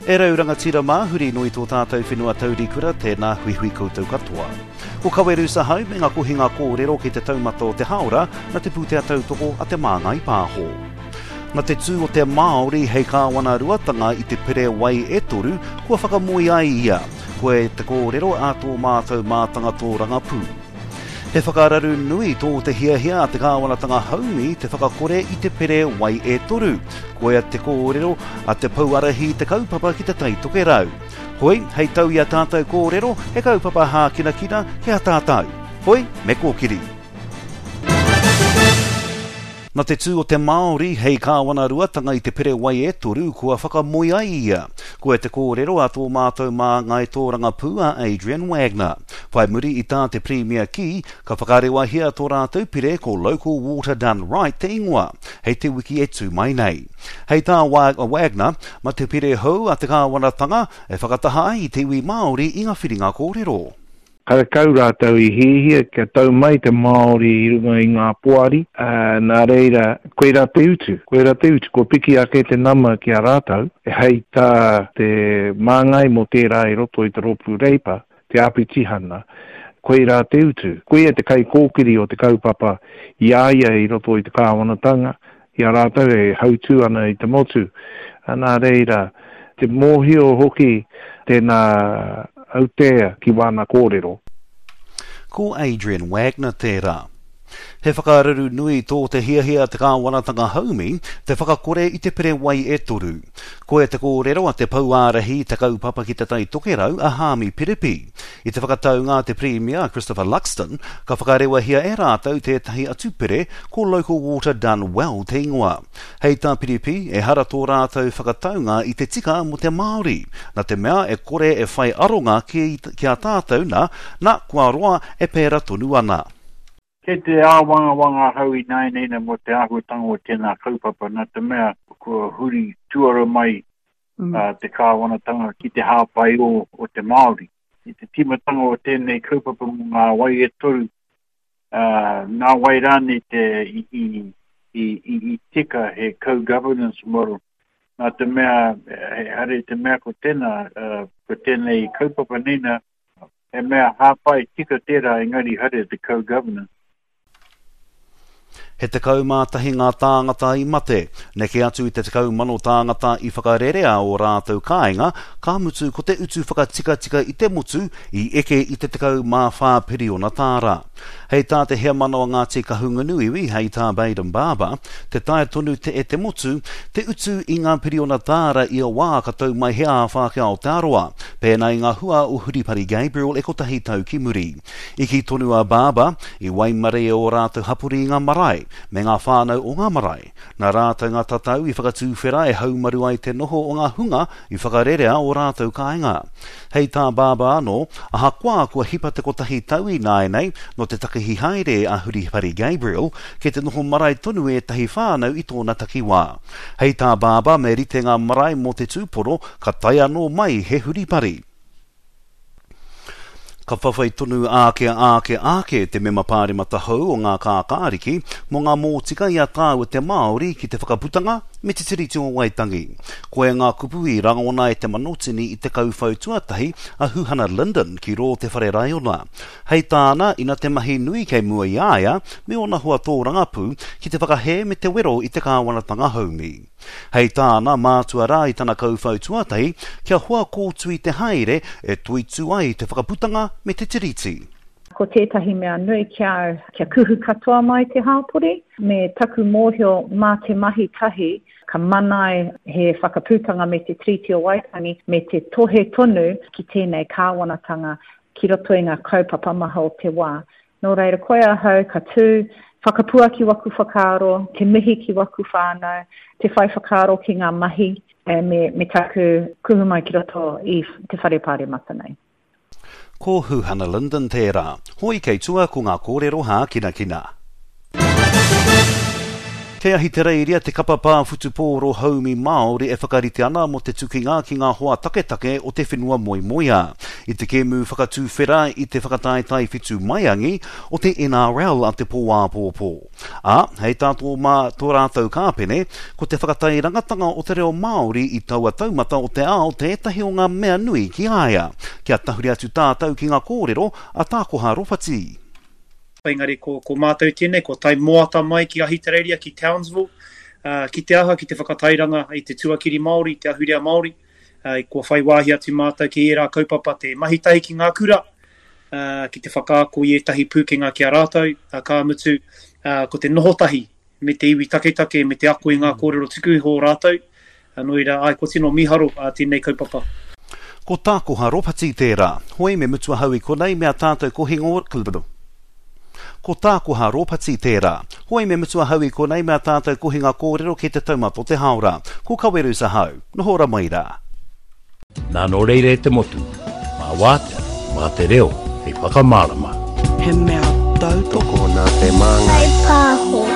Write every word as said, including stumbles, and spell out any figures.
E rau rangatira mā, huri noa i tō tātou whenua taurikura, tēnā huihui koutou katoa. Ko Kawerusa hau me ngā kohinga kōrero ki te taumata o te hāora na te pūtea tautoko a Te Māngai Pāho. Na te tū o te Māori hei kāwana ruatanga i te pere wai e toru, kua whakamoe ai ia. Koe te kōrero a tō mātou mātanga tōrangapū. He whakararu nui tō te hiahia a te kāwanatanga haumi te whakakore i te pere wai e toru. Koia te kōrero a te pouarahi te kaupapa ki te Tai Tokerau. Hoi, hei tau i a tātou kōrero, he kaupapa hākinakina ki a tātou. Hoi, me kōkiri. Na te tū o te Māori hei kāwana ruatanga i te pere wai e toru kua whakamoe ai ia. Koe te kōrero a tō mātou māngai tōrangapū a Adrian Wagner. Whai muri i tā te Pirimia kī, ka whakarewahia tō rātou pire ko Local Water Done Right te ingoa, hei te wiki e tū mai nei. Hei tā Wagner, ma te pire hou a te kāwanatanga e whakataha ai i te iwi Māori i ngā whiringa kōrero. Karekau rātou i hiahia kia tau mai te Māori i runga i ngā poari, ā, nā reira, koirā te utu, koirā te utu, kua piki ake te nama ki a rātou, hei tā te māngai mō tērā i roto i te rōpū Reipa, te āpitihana, koirā te utu. Koia te kaikōkiri o te kaupapa i a ia i roto i te kāwanatanga, i a rātou e hautū ana i te motu. Nā reira, te mōhio hoki tēnā autea ki wāna kōrero. Ko Adrian Wagner tērā. He whakararu nui tō te hiahia te kāwanatanga haumi te whakakore i te pere wai e toru. Koia te kōrero a te pouārahi te kaupapa ki te Tai Tokerau a Haami Piripi. I te whakataunga a te Pirimia a Christopher Luxon, ka whakarewahia e rātou tētahi atu pere ko Local Water Done Well te ingoa. Hei tā Piripi, ehara tō rātou whakataunga i te tika mō te Māori, na te mea e kore e whai aronga ki, ki a tātou na, na kua roa e pēra tonu ana. Kei te āwangawanga ahau ināianei mō te āhuatanga o tēnā kaupapa, nā te mea kua huri tuara mai mm. uh, te kāwanatanga ki te hāpai o, o te Māori. I te tīmatanga o tēnei kaupapa mō ngā wai e toru, uh, nā wai rānei te i, i, i, i, i tika he co-governance model. Nā te mea, hare te mea ko tēnā, uh, ko tēnei kaupapa nina, he mea hāpai tika tērā engari hare te co-governance. He tekau mā tahi ngā tāngata i mate, neke atu i te tekau mano tāngata i whakarerea o rātou kāinga, ka mutu ko te utu whakatikatika i te motu i eke i te tekau mā whā piriona tāra. Hei tā te heamana o Ngāti Kahungunu iwi, hei tā Bayden Barber, te taea tonu te e te motu, te utu i ngā piriona tāra ia wā ka tau mai he āwhā ki Aotearoa, pēnā i ngā hua o Huripari Gabriel e kotahi tau ki muri. I kī tonu a Barber, i waimarie ō rātou hapori i ngā marae, me ngā whānau o ngā marae. Nā rātou ngā tatau i whakatūwhera e haumaru ai te noho o ngā hunga i whakarerea o rātou kāinga. Hei tā Barber anō, ahakoa kua hipa te kotahi tau ināianei nō te takihi haere a Huripari Gabriel, kei te noho marae tonu ētahi whānau i tōna takiwā. Hei tā Barber me rite ngā marae mō te tūpono ka tae anō mai he huripari. Ka whawhai tonu āke āke āke te mema pāremata hou o ngā kākāriki mō ngā mōtika i a tāua te Māori ki te whakaputanga me te Tiriti o Waitangi. Koia ngā kupu i rangona e te manotini i te kauwhau tuatahi a Huhana Lyndon ki rō te whare raiona. Hei tāna, ina te mahi nui kei mua i a ia me ōna hoa tōrangapū ki te whakahē me te wero i te kāwanatanga haumi. Hei tāna, mātua rā i tana kauwhau tuatahi kia hoa kōtui te haere e toitū ai te whakaputanga me te tiriti. Ko tētahi mea nui kia, kia kuhu katoa mai te hāpori, me taku mōhio mā te mahi tahi, ka manai he whakaputanga me te Tiriti o Waitangi, me te tohe tonu ki tēnei kāwanatanga ki roto i ngā kaupapa maha o te wā. Nō reira, koe ahau ka tū, whakapuaki waku whakaaro, te mihi ki waku whānau, te whai whakaaro ki ngā mahi, e, me, me taku kuhu mai ki roto i te whare pāremata nei. Ko Huhana Lyndon tērā. Hoi kei tua ko ngā kōrero hākinakina. Kei Ahitereiria te kapa pā whutupōro haumi Māori e whakarite ana mō te tukinga ki ngā hoa taketake o te whenua moemoeā. I te kēmu whakatuwhera i te whakataetae whitu maiangi o te N R L a te pō āpōpō. Ā, hei tā tō mā tō rātou kāpene, ko te whakatairangatanga o te reo Māori i taua taumata o te ao tētahi o ngā mea nui ki a ia. Kia tahuri atu tātou ki ngā kōrero a Tākoha Ropati. Engari ko, ko mātou tēnei, ko tai moata mai ki Ahitereiria, ki Townsville, uh, ki te aha, ki te whakatairanga i te tuakiri Māori, te ahurea Māori, uh, kua whai wāhi atu mātou ki ērā kaupapa te mahi tahi ki ngā kura, uh, ki te whakaako i ētahi pūkenga ki a rātou, uh, ka mutu, uh, ko te noho tahi me te iwi taketake, me te ako i ngā kōrero tuku iho o rātou, uh, nō reira, ai, ko tino miharo uh, tēnei kaupapa. Ko Tākoha Ropati tērā, hoi me mutu ahau i konei mea tātou kohingo... Ko Tākoha Ropati tērā. Hoi me mutu ahau i konei mea tātou kohinga kōrero ki te taumata o te haora. Ko Kawerus ahau, noho ora mai rā. Nā nō reira e te motu, mā wātea, mā te reo, hei whakamārama. He mea tautoko nā te māngai. Hei pāho.